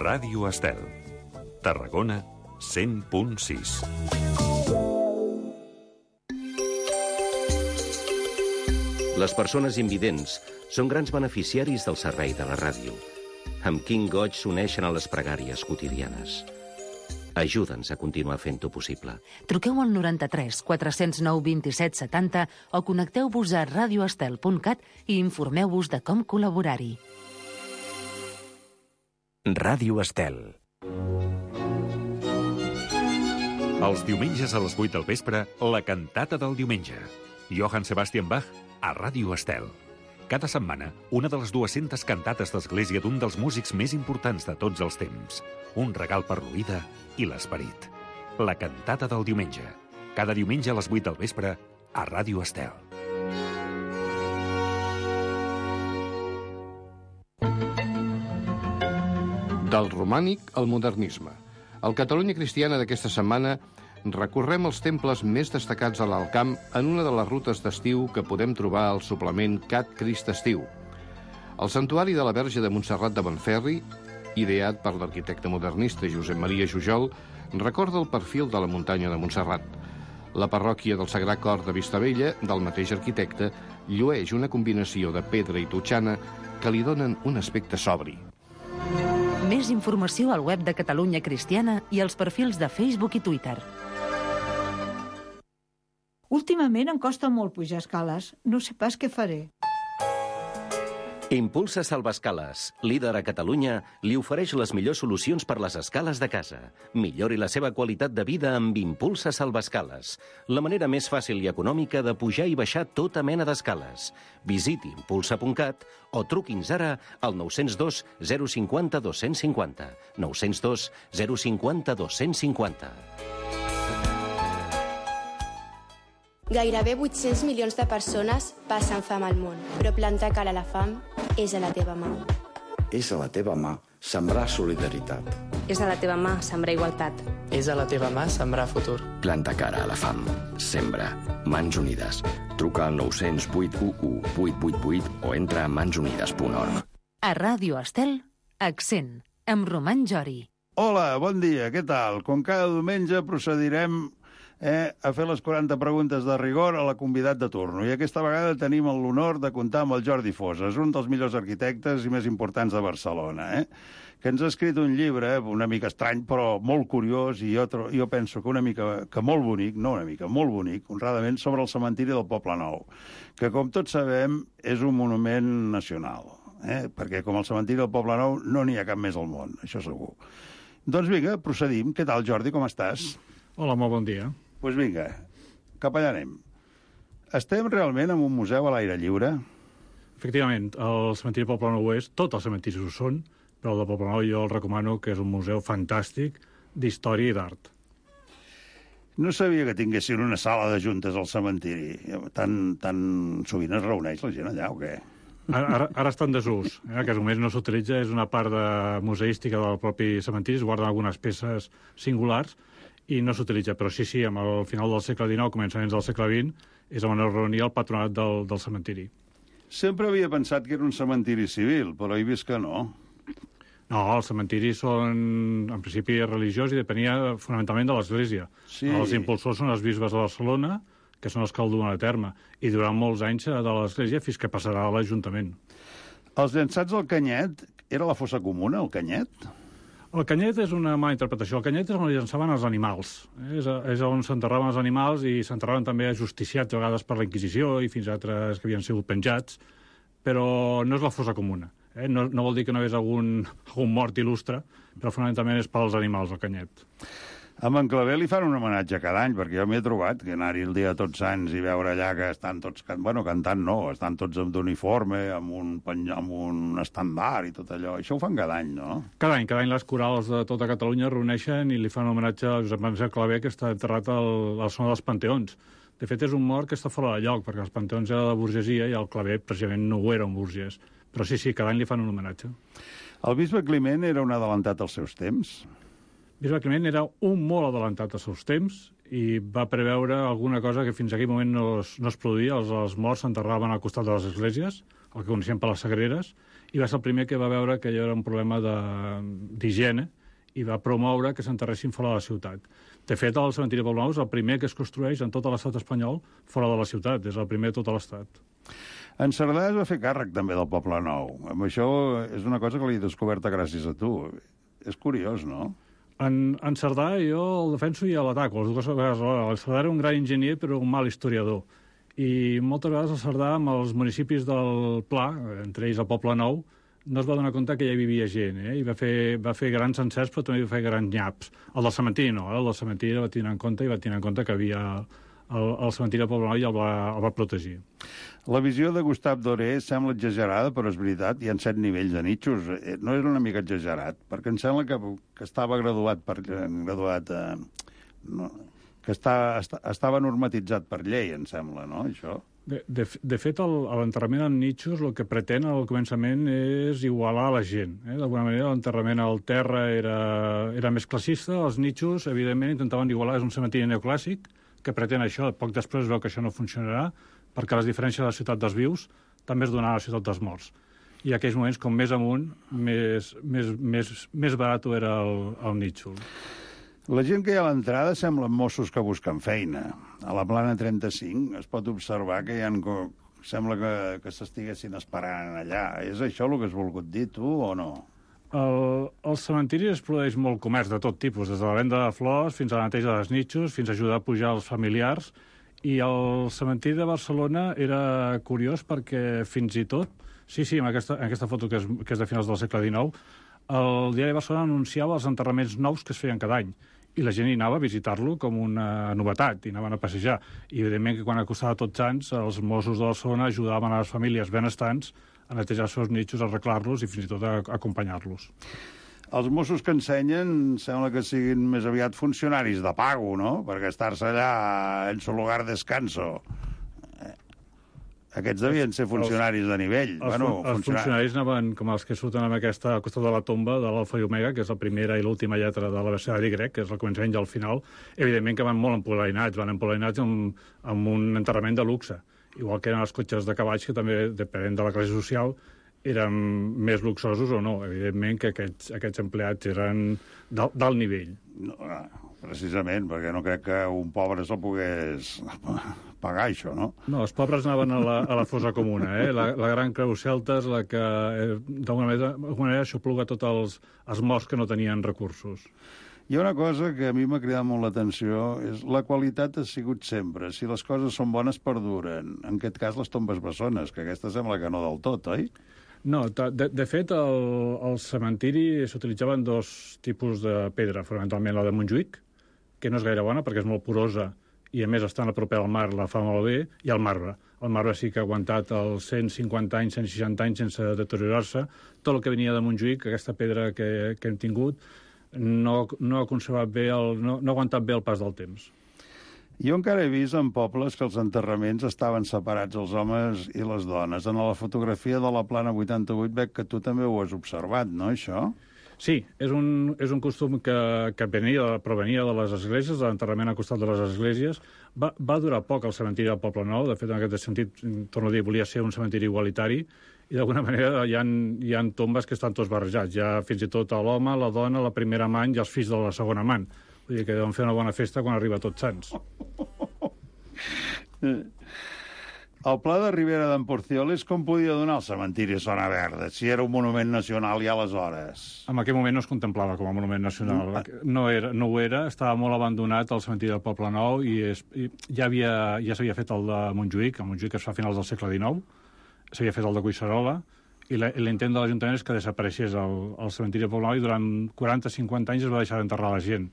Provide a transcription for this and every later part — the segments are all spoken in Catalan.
Ràdio Estel. Tarragona 100.6. Les persones invidents són grans beneficiaris del servei de la ràdio. Amb quin goig s'uneixen a les pregàries quotidianes. Ajuda'ns a continuar fent-ho possible. Truqueu al 93 409 27 70 o connecteu-vos a radioestel.cat i informeu-vos de com col·laborar-hi. Ràdio Estel. Els diumenges a les 8 del vespre, la cantata del diumenge. Johann Sebastian Bach a Ràdio Estel. Cada setmana, una de les 200 cantates d'església d'un dels músics més importants de tots els temps. Un regal per l'oïda i l'esperit. La cantata del diumenge. Cada diumenge a les 8 del vespre a Ràdio Estel. Del romànic al modernisme. Al Catalunya Cristiana d'aquesta setmana recorrem els temples més destacats a l'Alt Camp en una de les rutes d'estiu que podem trobar al suplement Cat Crist Estiu. El santuari de la Verge de Montserrat de Montferri, ideat per l'arquitecte modernista Josep Maria Jujol, recorda el perfil de la muntanya de Montserrat. La parròquia del Sagrat Cor de Vistabella, del mateix arquitecte, llueix una combinació de pedra i totxana que li donen un aspecte sobri. Més informació al web de Catalunya Cristiana i als perfils de Facebook i Twitter. Últimament em costa molt pujar escales. No sé pas què faré. Impulsa Salvaescales, líder a Catalunya, li ofereix les millors solucions per les escales de casa. Millori la seva qualitat de vida amb Impulsa Salvaescales, la manera més fàcil i econòmica de pujar i baixar tota mena d'escales. Visiti impulsa.cat o truqui'ns ara al 902 050 250. 902 050 250. Gairebé 800 milions de persones passen fam al món, però plantar cara a la fam és a la teva mà. És a la teva mà sembrar solidaritat. És a la teva mà sembrar igualtat. És a la teva mà sembrar futur. Planta cara a la fam. Sembra. Mans Unides. Truca al 900 811 888 o entra a mansunides.org. A Ràdio Estel, Accent, amb Roman Jori. Hola, bon dia, què tal? Com cada diumenge procedirem a fer les 40 preguntes de rigor a la convidat de turno. I aquesta vegada tenim l'honor de comptar amb el Jordi Fosas, un dels millors arquitectes i més importants de Barcelona, que ens ha escrit un llibre una mica estrany, però molt curiós, i jo penso que una mica que molt bonic, no una mica, molt bonic, honradament, sobre el cementiri del Poble Nou, que, com tots sabem, és un monument nacional, perquè com el cementiri del Poble Nou no n'hi ha cap més al món, això segur. Doncs vinga, procedim. Què tal, Jordi, com estàs? Hola, molt bon dia. Doncs vinga, cap allà anem. Estem realment en un museu a l'aire lliure? Efectivament, el cementiri del Poble Nou és, tots els cementiris ho són, però el del Poble Nou jo el recomano, que és un museu fantàstic d'història i d'art. No sabia que tinguessin una sala de juntes al cementiri. Tan sovint es reuneix la gent allà, o què? Ara està en desús. Que només no s'utilitza, és una part museística del propi cementiri, es guarden algunes peces singulars, i no s'utilitza, però sí, al final del segle XIX, començaments del segle XX, és on es reunia el patronat del cementiri. Sempre havia pensat que era un cementiri civil, però he vist que no. No, els cementiris són, en principi, religiós i depenia fonamentalment de l'Església. Sí. Els impulsors són els bisbes de Barcelona, que són els que el duen a terme, i durant molts anys de l'Església fins que passarà a l'Ajuntament. Els llançats al Canyet, era la fossa comuna, el Canyet? El Canyet és una mala interpretació. El Canyet és on llançaven els animals. És on s'enterraven els animals i s'enterraven també justiciats, a vegades per la Inquisició i fins a altres que havien sigut penjats, però no és la fossa comuna. No vol dir que no hi hagués algun mort il·lustre, però fonamentalment és pels animals, el Canyet. A Montclaver li fan un homenatge cada any, perquè jo m'he trobat que anar-hi el dia de Tots Sants i veure allà que estan tots... cantant no, estan tots d'uniforme, amb un estandard i tot allò. Això ho fan cada any, no? Cada any les corals de tota Catalunya es reuneixen i li fan homenatge a Josep Maria Clavé, que està enterrat al Son dels Panteons. De fet, és un mort que està fora de lloc, perquè els Panteons era de burgesia i el Clavé precisament no ho era un burgès. Però sí, cada any li fan un homenatge. El bisbe Climent era un adelantat als seus temps? Bisbe Climent era un molt adelantat als seus temps i va preveure alguna cosa que fins a aquell moment no es produïa. Els morts s'enterraven al costat de les esglésies, el que coneixem per les sagreres, i va ser el primer que va veure que hi era un problema d'higiene i va promoure que s'enterressin fora de la ciutat. De fet, el cementiri de Poblenou és el primer que es construeix en tot l'estat espanyol fora de la ciutat, és el primer de tot l'estat. En Cerdà es va fer càrrec també del Poble Nou. Amb això és una cosa que l'he descoberta gràcies a tu. És curiós, no? En Cerdà jo el defenso i l'ataco, les dues vegades alhora. El Cerdà era un gran enginyer però un mal historiador. I moltes vegades el Cerdà, amb els municipis del Pla, entre ells el Poble Nou, no es va donar compte que ja hi vivia gent, i va fer grans encerts, però també va fer grans nyaps. El del cementiri no, el del cementiri va tenir en compte i va tenir en compte que havia el cementiri del Poble Nou i el va protegir. La visió de Gustave Doré sembla exagerada, però és veritat, hi ha 7 nivells de nitxos. No és una mica exagerat, perquè em sembla que estava que estava normatitzat per llei, em sembla, no, això? De fet, l'enterrament en nitxos el que pretén al començament és igualar la gent. D'alguna manera, l'enterrament al terra era més classista, els nitxos, evidentment, intentaven igualar, és un cementiri neoclàssic, que pretén això. Poc després veu que això no funcionarà, perquè les diferències de la ciutat dels vius també es donaran a la ciutat dels morts. I en aquells moments, com més amunt, més barat era el nítxol. La gent que hi ha a l'entrada semblen Mossos que busquen feina. A la plana 35 es pot observar que sembla que s'estiguessin esperant allà. És això el que has volgut dir, tu, o no? Al cementiri es produeix molt comerç de tot tipus, des de la venda de flors fins a la neteja dels nitxos, fins a ajudar a pujar els familiars. I el cementiri de Barcelona era curiós perquè fins i tot, sí, en aquesta foto que és de finals del segle XIX, el diari de Barcelona anunciava els enterraments nous que es feien cada any. I la gent hi anava a visitar-lo com una novetat, i anaven a passejar. I, evidentment, que quan acostava Tots Sants, els Mossos de Barcelona ajudaven a les famílies benestants a netejar els seus nitxos, a arreglar-los i fins i tot a acompanyar-los. Els Mossos que ensenyen sembla que siguin més aviat funcionaris de pago, no? Perquè estar-se allà en su lugar descanso. Aquests devien ser funcionaris de nivell. Els funcionaris anaven com els que surten al costat de la tomba de l'Alfa i Omega, que és la primera i l'última lletra de l'abecedari grec, que és el començament i el final. Evidentment que van molt empolainats, amb un enterrament de luxe. Igual que eren els cotxes de cavalls, que també, depenent de la classe social, eren més luxosos o no. Evidentment que aquests empleats eren d'alt nivell. No, precisament, perquè no crec que un pobre se'l pogués pagar, això, no? No, els pobres anaven a la fossa comuna, La gran creu celta és la que, d'alguna manera, aixopluga tots els morts que no tenien recursos. Hi ha una cosa que a mi m'ha cridat molt l'atenció, és la qualitat ha sigut sempre. Si les coses són bones, perduren. En aquest cas, les tombes bessones, que aquesta sembla que no del tot, oi? No, de fet, al cementiri s'utilitzaven dos tipus de pedra, fonamentalment la de Montjuïc, que no és gaire bona perquè és molt porosa i, a més, estant a proper al mar la fa molt bé, i el marbre. El marbre sí que ha aguantat els 150 anys, 160 anys sense deteriorar-se. Tot el que venia de Montjuïc, aquesta pedra que hem tingut, no ha conservat bé, no ha aguantat bé el pas del temps. Jo encara he vist en pobles que els enterraments estaven separats, els homes i les dones. En la fotografia de la plana 88 veig que tu també ho has observat, no, això? Sí, és un costum que provenia de les esglésies, de l'enterrament al costat de les esglésies. Va durar poc el cementiri del Poble Nou, de fet, en aquest sentit, torno a dir, volia ser un cementiri igualitari, i d'alguna manera hi ha tombes que estan tots barrejats. Hi ha fins i tot l'home, la dona, la primera amant i els fills de la segona amant. Vull dir que deuen fer una bona festa quan arriba Tots Sants. El pla de Ribera d'en Porcioles com podia donar el cementiri Zona Verda, si era un monument nacional ja aleshores? En aquell moment no es contemplava com a monument nacional. No ho era, estava molt abandonat el cementiri del Poble Nou i ja s'havia fet el de Montjuïc, el Montjuïc es fa a finals del segle XIX, s'havia fet el de Collserola, i l'intent de l'Ajuntament és que desapareixés el cementiri del Poble Nou i durant 40-50 anys es va deixar d'enterrar la gent,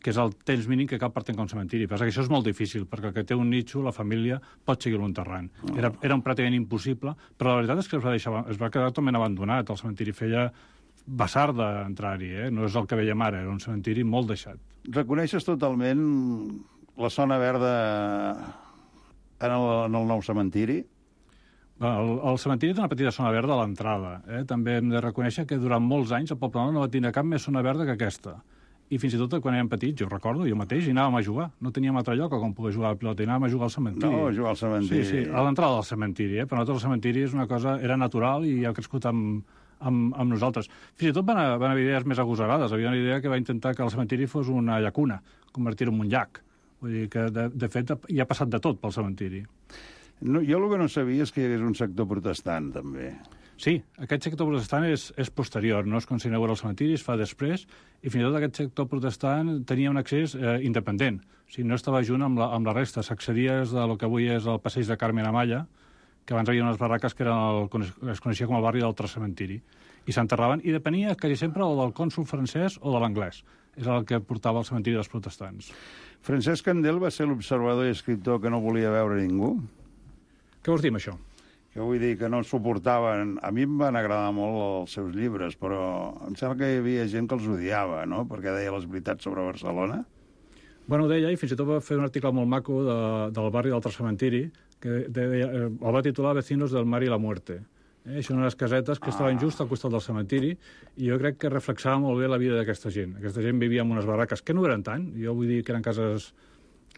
que és el temps mínim que cal per tenir un cementiri. Però això és molt difícil, perquè el que té un nitxo, la família, pot seguir-lo enterrant. Era pràcticament impossible, però la veritat és que es va quedar totalment abandonat. El cementiri feia vessar d'entrar-hi, no és el que veiem ara, era un cementiri molt deixat. Reconeixes totalment la zona verda en el nou cementiri? El cementiri té una petita zona verda a l'entrada. També hem de reconèixer que durant molts anys el Poble Nou no va tenir cap més zona verda que aquesta. i fins i tot quan érem petits, jo recordo, jo mateix, i anàvem a jugar. No teníem altre lloc on poder jugar a la pilota, i anàvem a jugar al cementiri. No, a jugar al cementiri. Sí, a l'entrada del cementiri, Per nosaltres el cementiri és una cosa, era natural i ha crescut amb nosaltres. Fins i tot van haver idees més agosarades. Havia una idea que va intentar que el cementiri fos una llacuna, convertir-ho en un llac. Vull dir que, de fet, hi ha passat de tot pel cementiri. No, jo el que no sabia és que hi hagués un sector protestant, també. Sí, aquest sector protestant és posterior, no es s'inaugura el cementiri, es fa després, i fins i tot aquest sector protestant tenia un accés independent. O sigui, no estava junt amb la resta. S'accedia des del que avui és el passeig de Carmen Amaya, que abans hi havia unes barraques que es coneixia com el barri del Cementiri, i s'enterraven, i depenia quasi sempre o del cònsol francès o de l'anglès. És el que portava el cementiri dels protestants. Francesc Candel va ser l'observador i escriptor que no volia veure ningú? Què vols dir amb això? Que vull dir que no suportaven... A mi em van agradar molt els seus llibres, però em sembla que hi havia gent que els odiava, no?, perquè deia les veritats sobre Barcelona. Bueno, ho deia, i fins i tot va fer un article molt maco del barri del Cementiri, que el va titular Vecinos del mar i la muerte. Són unes casetes que estaven just al costat del cementiri, i jo crec que reflexava molt bé la vida d'aquesta gent. Aquesta gent vivia en unes barraques que no eren tant, jo vull dir que eren cases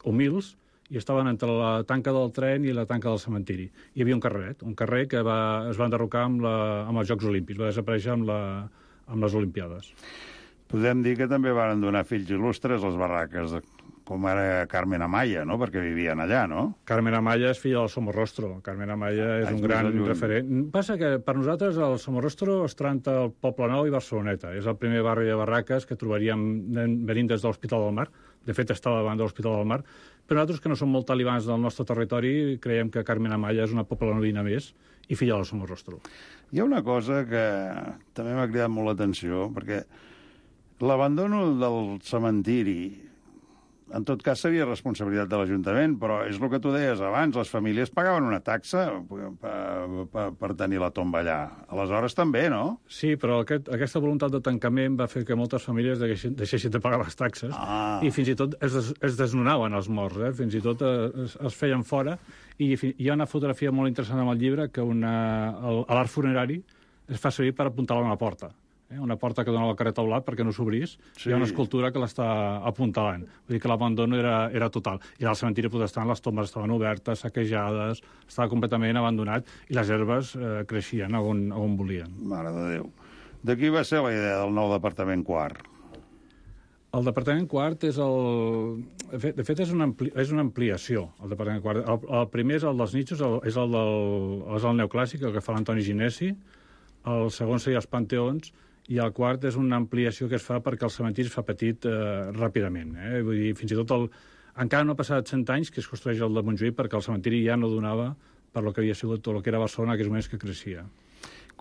humils, i estaven entre la tanca del tren i la tanca del cementiri. Hi havia un carrer que es va enderrocar amb els Jocs Olímpics, va desaparèixer amb les Olimpiades. Podem dir que també van donar fills il·lustres les barraques, com ara Carmen Amaya, no?, perquè vivien allà, no? Carmen Amaya és filla del Somorrostro. Carmen Amaya és un gran referent. Passa que per nosaltres el Somorrostro es tranta el Poble Nou i Barceloneta. És el primer barri de barraques que trobaríem venint des de l'Hospital del Mar. De fet, estava davant de l'Hospital del Mar. Però nosaltres, que no som molt talibans del nostre territori, creiem que Carmen Amaya és una poblanovina més i filla del Somorrostro. Hi ha una cosa que també m'ha cridat molt l'atenció, perquè l'abandono del cementiri, en tot cas, seria responsabilitat de l'Ajuntament, però és el que tu deies abans, les famílies pagaven una taxa per tenir la tomba allà. Aleshores també, no? Sí, però aquesta voluntat de tancament va fer que moltes famílies deixessin de pagar les taxes i fins i tot es desnonaven els morts, fins i tot es feien fora, i hi ha una fotografia molt interessant en el llibre que l'art funerari es fa servir per apuntalar una porta. Una porta que dona al carrer Taulat perquè no s'obrís, sí. Hi ha una escultura que l'està apuntalant. Vull dir que l'abandono era total. I al cementiri protestant les tombes estaven obertes, saquejades, estava completament abandonat i les herbes creixien on volien. Mare de Déu. De qui va ser la idea del nou departament quart? El departament quart és de fet és una ampliació, el departament quart. El primer és el dels nichos, és el neoclàssic, el que fa l'Antoni Ginesi. El segon seria els panteons, i el quart és una ampliació que es fa perquè el cementiri es fa petit ràpidament. Vull dir, fins i tot encara no ha passat 100 anys que es construeix el de Montjuïc perquè el cementiri ja no donava per lo que havia sigut tot el que era Barcelona en aquells moments que creixia.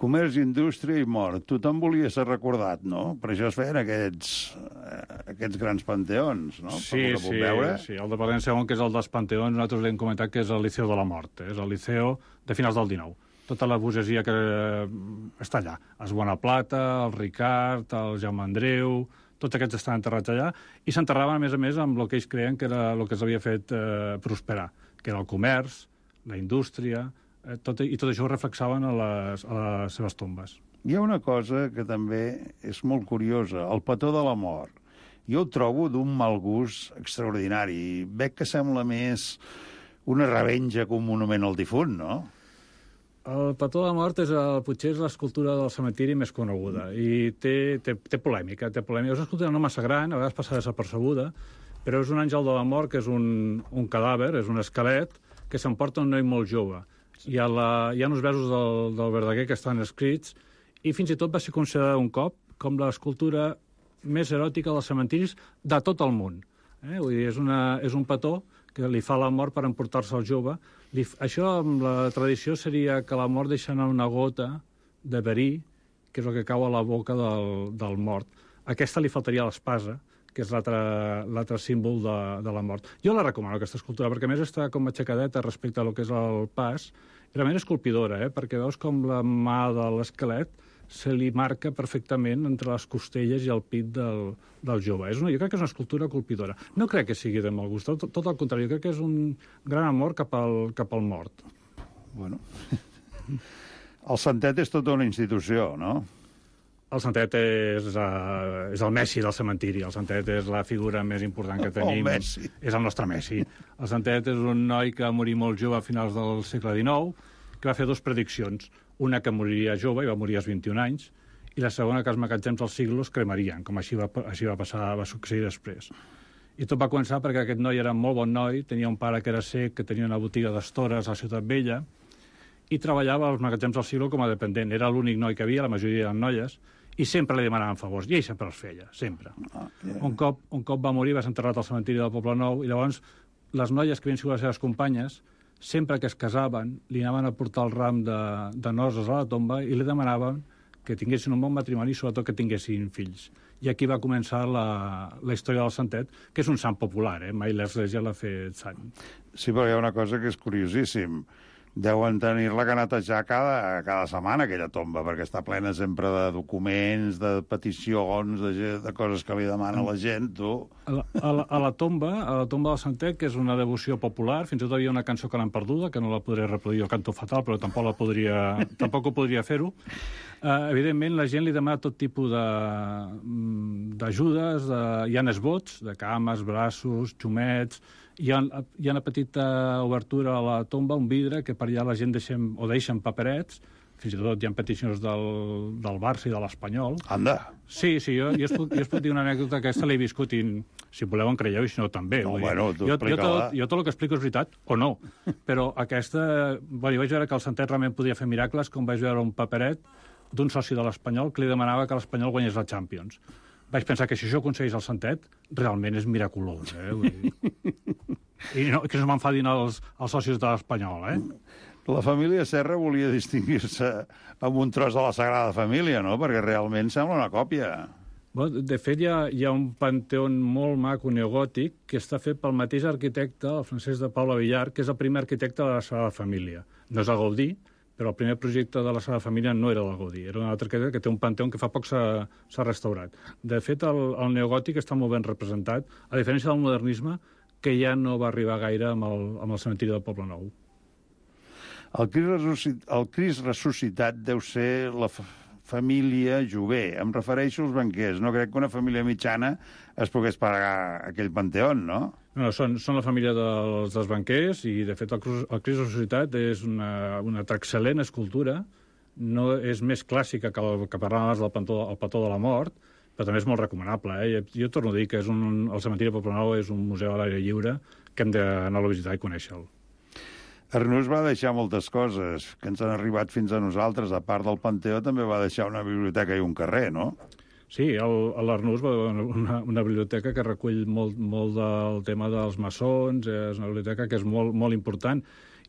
Comerç, indústria i mort. Tothom volia ser recordat, no? Per això es feien aquests grans panteons, no? Sí, el departament segon, que és el dels panteons, nosaltres l'hem comentat que és el Liceu de la Mort. És el Liceu de finals del 19. Tota la burgesia que està allà. Els Bonaplata, el Ricard, el Jaume Andreu, tots aquests estan enterrats allà, i s'enterraven, a més, amb el que ells creien que era el que els havia fet prosperar, que era el comerç, la indústria, i tot això ho reflexaven a les seves tombes. Hi ha una cosa que també és molt curiosa, el petó de la mort. Jo ho trobo d'un mal gust extraordinari. Veig que sembla més una revenja que un monument al difunt, no? El petó de la mort potser és l'escultura del cementiri més coneguda i té polèmica. És una escultura no massa gran, a vegades passa desapercebuda, però és un àngel de la mort que és un cadàver, és un esquelet que s'emporta un noi molt jove. Hi ha uns versos del Verdaguer que estan escrits i fins i tot va ser considerada un cop com l'escultura més eròtica dels cementiris de tot el món. Vull dir, és un petó que li fa la mort per emportar-se el jove. Això, amb la tradició, seria que la mort deixa anar una gota de verí, que és el que cau a la boca del mort. A aquesta li faltaria l'espasa, que és l'altre símbol de la mort. Jo la recomano, aquesta escultura, perquè a més està com aixecadeta respecte a lo que és el pas. I realment és colpidora, perquè veus com la mà de l'esquelet se li marca perfectament entre les costelles i el pit del jove. Jo crec que és una escultura colpidora. No crec que sigui de mal gust, tot al contrari, jo crec que és un gran amor cap al mort. Bueno, el Santet és tota una institució, no? El Santet és el Messi del cementiri. El Santet és la figura més important que tenim. El Messi. És el nostre Messi. El Santet és un noi que va morir molt jove a finals del segle XIX, que va fer 2 prediccions. Una que moriria jove, i va morir als 21 anys, i la segona que els magatzems dels siglos cremarien, com així va passar, va succeir després. I tot va començar perquè aquest noi era un molt bon noi, tenia un pare que era cec, que tenia una botiga d'estores a la Ciutat Vella, i treballava als magatzems del siglo com a dependent. Era l'únic noi que havia, la majoria eren noies, i sempre li demanaven favors, i ell sempre els feia, sempre. Un cop va morir, va ser enterrat al cementiri del Poble Nou, i llavors les noies que havien sigut les seves companyes, sempre que es casaven, li anaven a portar el ram de noces a la tomba i li demanaven que tinguessin un bon matrimoni i sobretot que tinguessin fills. I aquí va començar la història del Santet, que és un sant popular, mai l'Església l'ha fet sant. Sí, però hi ha una cosa que és curiosíssim. Deuen tenir-la que netejar cada setmana, aquella tomba, perquè està plena sempre de documents, de peticions, de coses que li demana la gent, tu. A la tomba del Santet, que és una devoció popular, fins i tot hi ha una cançó que l'han perduda, que no la podré reproduir, el canto fatal, però tampoc ho podria fer-ho. Evidentment, la gent li demana tot tipus d'ajudes, hi ha esbots, de cames, braços, xumets. Hi ha una petita obertura a la tomba, un vidre, que per allà la gent deixen paperets, fins i tot hi ha peticions del Barça i de l'Espanyol. Anda! Sí, jo us puc dir una anècdota, aquesta l'he viscut, i si voleu en creieu, i si no també. No, bueno, tu explica-la. Jo tot el que explico és veritat, o no, però aquesta... Bueno, jo vaig veure que el Santet realment podia fer miracles, com vaig veure un paperet d'un soci de l'Espanyol que li demanava que l'Espanyol guanyés la Champions. Vaig pensar que si això aconseguís el Santet, realment és miraculós, I que no m'enfadin els socis de l'Espanyol, La família Serra volia distingir-se amb un tros de la Sagrada Família, no? Perquè realment sembla una còpia. De fet, hi ha un panteó molt maco neogòtic que està fet pel mateix arquitecte, el Francesc de Paula Villar, que és el primer arquitecte de la Sagrada Família. No és el Gaudí, però el primer projecte de la Sagrada Família no era el Gaudí, era un altre que té un panteó que fa poc s'ha restaurat. De fet, el neogòtic està molt ben representat, a diferència del modernisme, que ja no va arribar gaire amb el cementiri del Poble Nou. El Crist ressuscitat deu ser la família Jové. Em refereixo als banquers. No crec que una família mitjana es pogués pagar aquell panteó, no? No, són la família dels banquers i, de fet, el Crist ressuscitat és una excel·lent escultura. No és més clàssica que el que parlàvem abans del petó de la mort, però també és molt recomanable. Jo torno a dir que el cementiri del Poble Nou és un museu a l'aire lliure que hem d'anar a visitar i conèixer-lo. Arnús va deixar moltes coses que ens han arribat fins a nosaltres. A part del panteó, també va deixar una biblioteca i un carrer, no? Sí, l'Arnús va una biblioteca que recull molt del tema dels maçons, és una biblioteca que és molt important.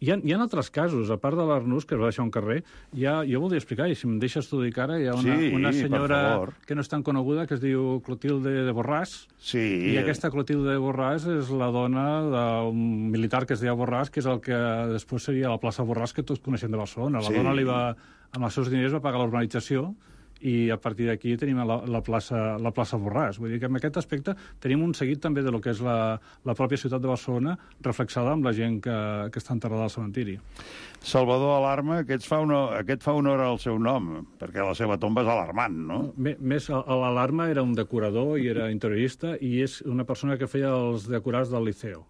Hi ha altres casos, a part de l'Arnús, que es va deixar un carrer, jo voldria explicar, i si em deixes t'ho dic ara, hi ha una senyora que no és tan coneguda, que es diu Clotilde de Borràs, i aquesta Clotilde de Borràs és la dona d'un militar que es deia Borràs, que és el que després seria la plaça Borràs que tots coneixem de Barcelona. La dona amb els seus diners va pagar l'urbanització, i a partir d'aquí tenim la plaça Borràs. Vull dir que en aquest aspecte tenim un seguit també de lo que és la pròpia ciutat de Barcelona reflexada amb la gent que està enterrada al cementiri. Salvador Alarma, aquest fa honor al seu nom, perquè la seva tomba és alarmant, no? Més, l'Alarma era un decorador i era interiorista i és una persona que feia els decorats del Liceo.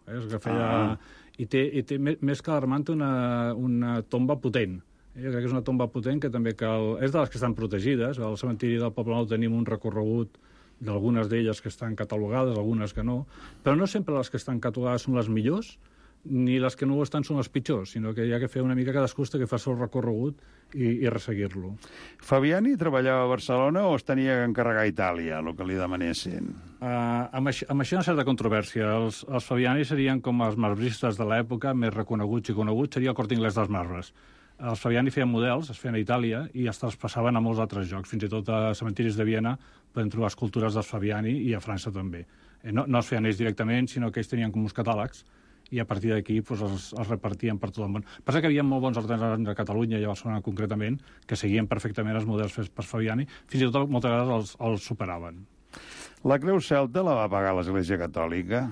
I té més que alarmant una tomba potent. Jo crec que és una tomba potent que també cal... És de les que estan protegides. Al cementiri del Poble Nou tenim un recorregut d'algunes d'elles que estan catalogades, algunes que no, però no sempre les que estan catalogades són les millors, ni les que no ho estan són les pitjors, sinó que hi ha que fer una mica cadascú que fa el seu recorregut i resseguir-lo. Fabiani treballava a Barcelona o es tenia que encarregar a Itàlia, el que li demanessin? Amb això hi ha una certa controvèrsia. Els Fabiani serien com els marbristes de l'època, més reconeguts i coneguts, seria el Corte Inglés dels marbres. Els Fabiani feien models, es feien a Itàlia, i es traspassaven a molts altres llocs. Fins i tot a cementiris de Viena podem trobar escultures dels Fabiani i a França també. No es feien ells directament, sinó que ells tenien com uns catàlegs, i a partir d'aquí els repartien per tot el món. Passa que hi havia molt bons artesans a Catalunya i a Barcelona concretament, que seguien perfectament els models fets per Fabiani, fins i tot moltes vegades els superaven. La Creu Celta la va pagar l'Església Catòlica?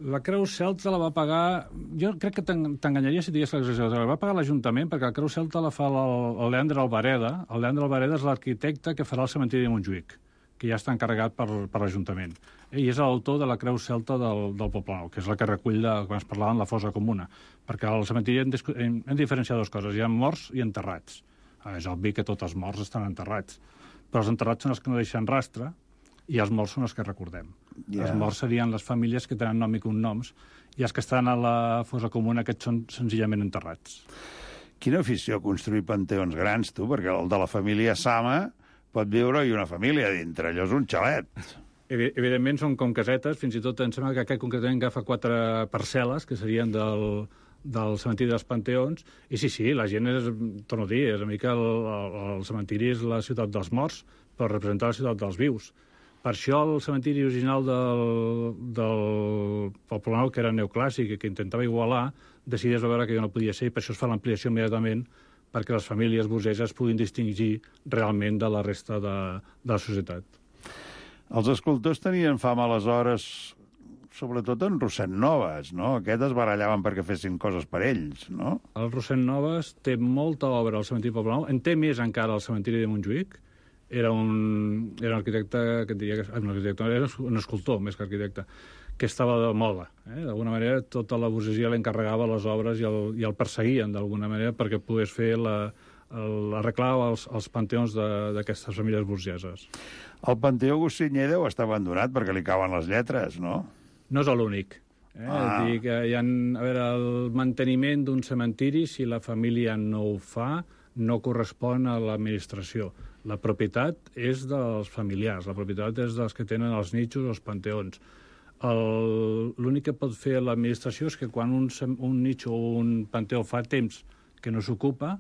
La Creu Celta la va pagar... Jo crec que t'enganyaria si digués l'exageració. La va pagar l'Ajuntament, perquè la Creu Celta la fa el Leandre Albareda. El Leandre Albareda és l'arquitecte que farà el cementiri de Montjuïc, que ja està encarregat per l'Ajuntament. I és l'autor de la Creu Celta del Poblenou, que és la que recull, quan es parlava, la fossa comuna. Perquè al cementiri hem de diferenciar dues coses. Hi ha morts i enterrats. És obvi que tots els morts estan enterrats. Però els enterrats són els que no deixen rastre, i els morts són els que recordem. Els morts serien les famílies que tenen nom i cognoms, i els que estan a la fossa comuna, aquests són senzillament enterrats. Quina afició construir panteons grans, tu, perquè el de la família Sama pot viure-hi una família dintre, allò és un xalet. Evidentment són com casetes, fins i tot em sembla que aquest concretament agafa 4 parcel·les, que serien del cementiri dels Panteons, i sí, la gent és, torno a dir, és una mica el cementiri és la ciutat dels morts, per representar la ciutat dels vius. Per això el cementiri original del Poblenou, que era neoclàssic i que intentava igualar, decideix veure que no podia ser, i per això es fa l'ampliació immediatament, perquè les famílies burgeses puguin distingir realment de la resta de la societat. Els escultors tenien fama aleshores, sobretot en Rossend-Noves, no? Aquests es barallaven perquè fessin coses per ells, no? El Rossend-Noves té molta obra al cementiri Poblenou, en té més encara al cementiri de Montjuïc. Era un arquitecte, que diria que era un escultor, més que arquitecte, que estava de moda. D'alguna manera, tota la burgesia l'encarregava les obres i el perseguien, d'alguna manera, perquè pogués fer arreglar els panteons d'aquestes famílies burgeses. El Panteó Goscinyer deu estar abandonat perquè li cauen les lletres, no? No és l'únic. Dir que el manteniment d'un cementiri, si la família no ho fa, no correspon a l'administració. La propietat és dels familiars, la propietat és dels que tenen els nitxos o els panteons. L'únic que pot fer l'administració és que quan un nitxo o un panteó fa temps que no s'ocupa,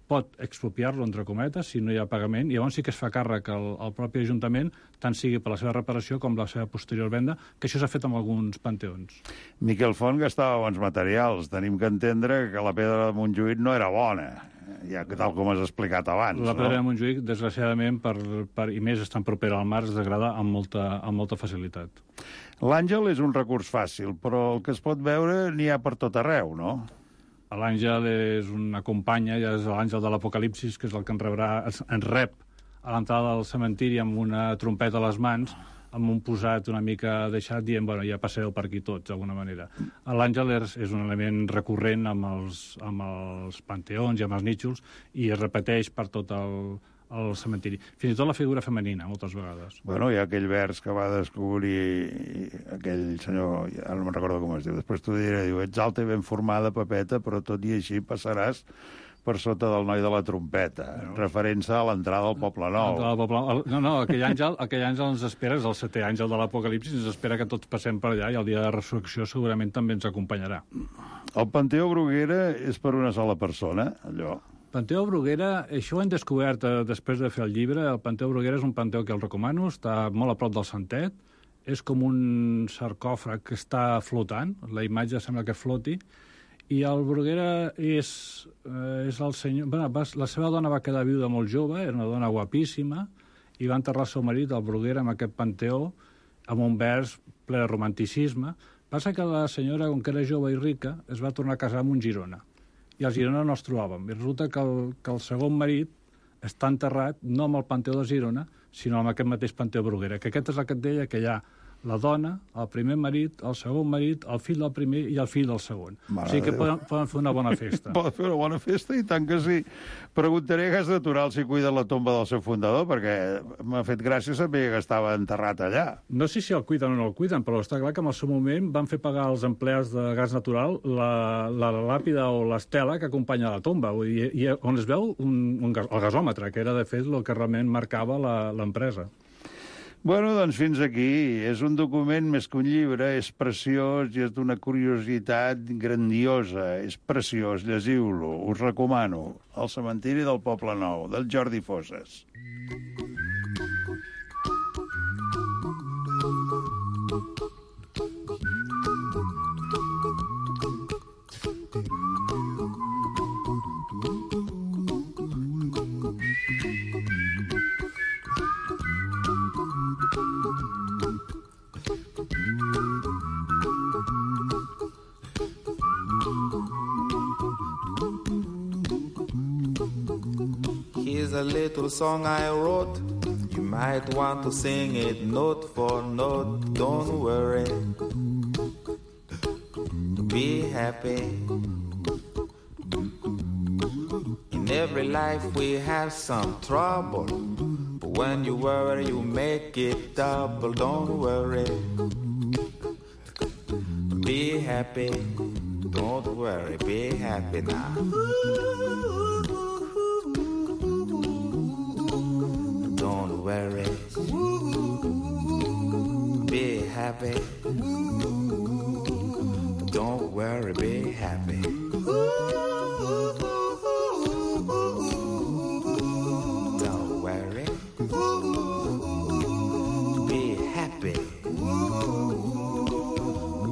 pot expropiar-lo, entre cometes, si no hi ha pagament, i llavors sí que es fa càrrec al propi Ajuntament, tant sigui per la seva reparació com la seva posterior venda, que això s'ha fet amb alguns panteons. Miquel Font gastava bons materials. Tenim que entendre que la pedra de Montjuïc no era bona, ja que tal com has explicat abans. La pedra de Montjuïc, desgraciadament, i més estan propera al mar, es degrada amb molta facilitat. L'àngel és un recurs fàcil, però el que es pot veure n'hi ha per tot arreu, no? L'àngel és una companya, ja és l'àngel de l'Apocalipsis, que és el que ens rep a l'entrada del cementiri amb una trompeta a les mans, amb un posat una mica deixat, dient, bueno, ja passeu per aquí tots, d'alguna manera. L'àngel és un element recurrent amb els panteons i amb els nítxols, i es repeteix per tot el cementiri. Fins i tot la figura femenina, moltes vegades. Bueno, hi ha aquell vers que va descobrir aquell senyor, ara no me'n recordo com es diu, després t'ho diré, diu, ets alta i ben formada, Pepeta, però tot i així passaràs per sota del noi de la trompeta, referent-se a l'entrada al Poblenou. No, aquell àngel ens espera, és el 7è àngel de l'Apocalipsis, ens espera que tots passem per allà, i el dia de resurrecció segurament també ens acompanyarà. El Panteó Bruguera és per una sola persona, allò? Panteó Bruguera, això ho hem descobert després de fer el llibre. El Panteó Bruguera és un panteó que el recomano, està molt a prop del Santet, és com un sarcòfag que està flotant, la imatge sembla que floti, i el Bruguera és el senyor... La seva dona va quedar viuda molt jove, era una dona guapíssima, i va enterrar el seu marit, el Bruguera, en aquest panteó, amb un vers ple de romanticisme. Passa que la senyora, com que era jove i rica, es va tornar a casar amb un Girona, i al Girona no els trobàvem. I resulta que el segon marit està enterrat no amb el Panteó de Girona, sinó amb aquest mateix Panteó Bruguera, que aquest és el que et deia, que hi ha la dona, el primer marit, el segon marit, el fill del primer i el fill del segon. O sigui que poden fer una bona festa. Poden fer una bona festa, i tant que sí. Preguntaré a Gas Natural si cuida la tomba del seu fundador, perquè m'ha fet gràcia saber que estava enterrat allà. No sé si el cuiden o no el cuiden, però està clar que en el seu moment van fer pagar als empleats de Gas Natural la làpida o l'estela que acompanya la tomba, i on es veu el gasòmetre, que era, de fet, el que realment marcava l'empresa. Bueno, doncs fins aquí. És un document més que un llibre, és preciós i és d'una curiositat grandiosa. És preciós, llegiu-lo, us recomano. El cementiri del Poblenou, del Jordi Foses. little song I wrote. You might want to sing it note for note. Don't worry, be happy. In every life we have some trouble, but when you worry you make it double. Don't worry, be happy. Don't worry, be happy now. Don't worry, be happy. Don't worry, be happy. Don't worry, be happy.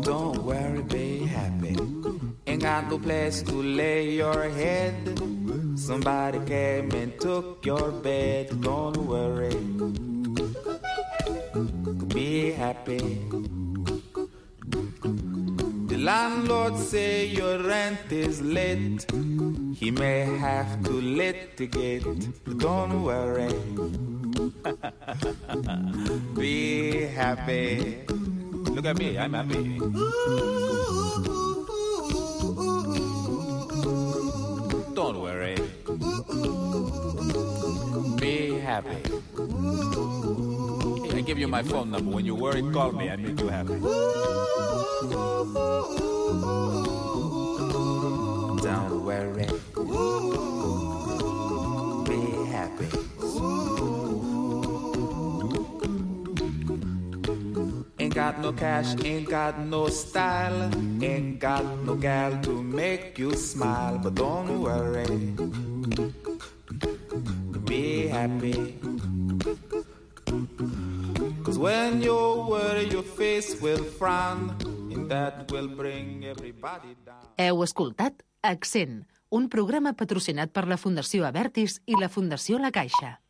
Don't worry, be happy. Ain't got no place to lay your head. Somebody came and took your bed. Don't worry, be happy. The landlord say your rent is late. He may have to litigate. Don't worry, be happy. Look at me, I'm happy. Don't worry, be happy. I give you my phone number. When you worry, call me. I make you happy. Don't worry, be happy. Ain't got no cash, ain't got no style, ain't got no gal to make you smile. But don't worry, be happy. Cause when you worry, your face will frown, and that will bring everybody down. Heu escoltat Accent, un programa patrocinat per la Fundació Abertis i la Fundació La Caixa.